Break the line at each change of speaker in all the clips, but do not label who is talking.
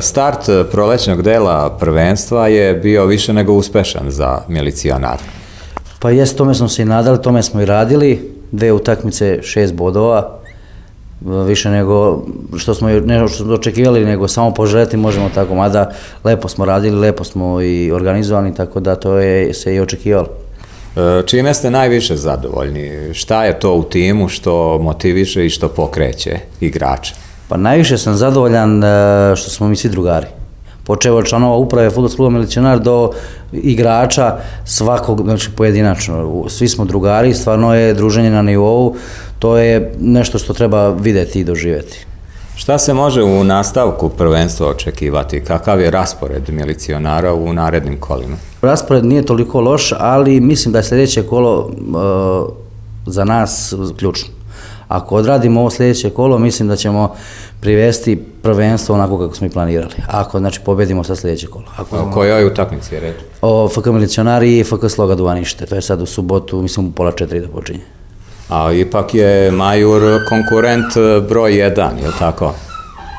Start prolećnog dela prvenstva je bio više nego uspešan za Milicionar.
Pa jes, tome smo se i nadali, tome smo i radili. 2 utakmice, 6 bodova. Više nego što smo očekivali, nego samo poželjeti možemo tako. Mada lepo smo radili, lepo smo i organizovani, tako da to je se i očekivalo.
Čime ste najviše zadovoljni? Šta je to u timu što motiviše i što pokreće igrače?
Pa najviše sam zadovoljan što smo mi svi drugari. Počeo od članova uprave Fudbalskog kluba Milicionar do igrača svakog, znači pojedinačno. Svi smo drugari, stvarno je druženje na nivou, to je nešto što treba videti i doživjeti.
Šta se može u nastavku prvenstva očekivati? Kakav je raspored Milicionara u narednim kolima?
Raspored nije toliko loš, ali mislim da je sljedeće kolo za nas ključno. Ako odradimo ovo sljedeće kolo, mislim da ćemo privesti prvenstvo onako kako smo i planirali. Ako, znači, pobedimo sa sljedeće kolo.
O kojoj utakmici je reč?
O FK Milicionari i FK Sloga Duvanište. To je sad u subotu, mislim u 3:30 da počinje.
A ipak je Majur konkurent broj 1, je li tako?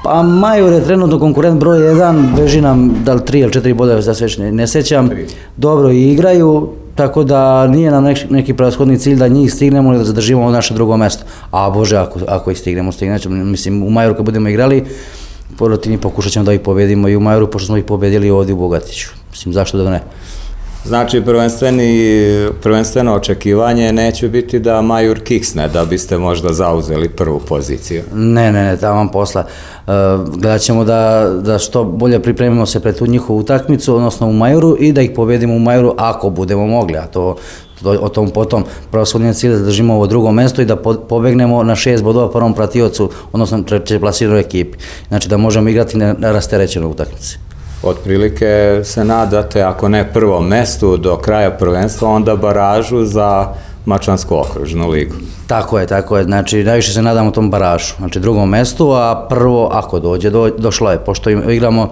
Pa Majur je trenutno konkurent broj 1, beži nam da li 3 ili 4 boda, da se već ne sjećam. Dobro i igraju, tako da nije nam neki prevashodni cilj da njih stignemo ili da zadržimo naše drugo mjesto. A Bože, ako ih stignemo, mislim u Majuru kad budemo igrali, protiv njih pokušat ćemo da ih pobedimo i u Majuru, pošto smo ih pobedili ovdje u Bogatiću. Mislim, zašto da ne?
Znači, prvenstveno očekivanje neće biti da Majur kiksne, da biste možda zauzeli prvu poziciju.
Ne, tamo posla. Gledat ćemo da što bolje pripremimo se pred tu njihovu utakmicu, odnosno u Majuru, i da ih pobedimo u Majuru ako budemo mogli, a to o tom potom. Prevashodni cilj da držimo ovo drugo mjesto i da pobegnemo na 6 bodova prvom pratiocu, odnosno treće plasiranoj ekipi. Znači da možemo igrati na rasterećenoj utakmici.
Otprilike se nadate, ako ne prvom mestu do kraja prvenstva, onda baražu za Mačvansku okružnu ligu.
Tako je, znači najviše se nadamo tom baražu, znači drugom mestu, a prvo ako dođe, došlo je, pošto igramo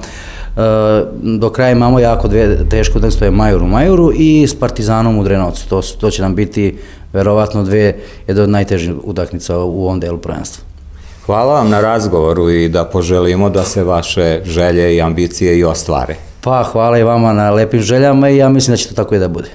do kraja imamo jako dvije teške utakmice, to je Majur u Majuru i s Partizanom u Drenovcu, to će nam biti verovatno jedna od najtežih utakmica u ovom delu prvenstva.
Hvala vam na razgovoru i da poželimo da se vaše želje i ambicije i ostvare.
Pa hvala i vama na lepim željama i ja mislim da će to tako i da bude.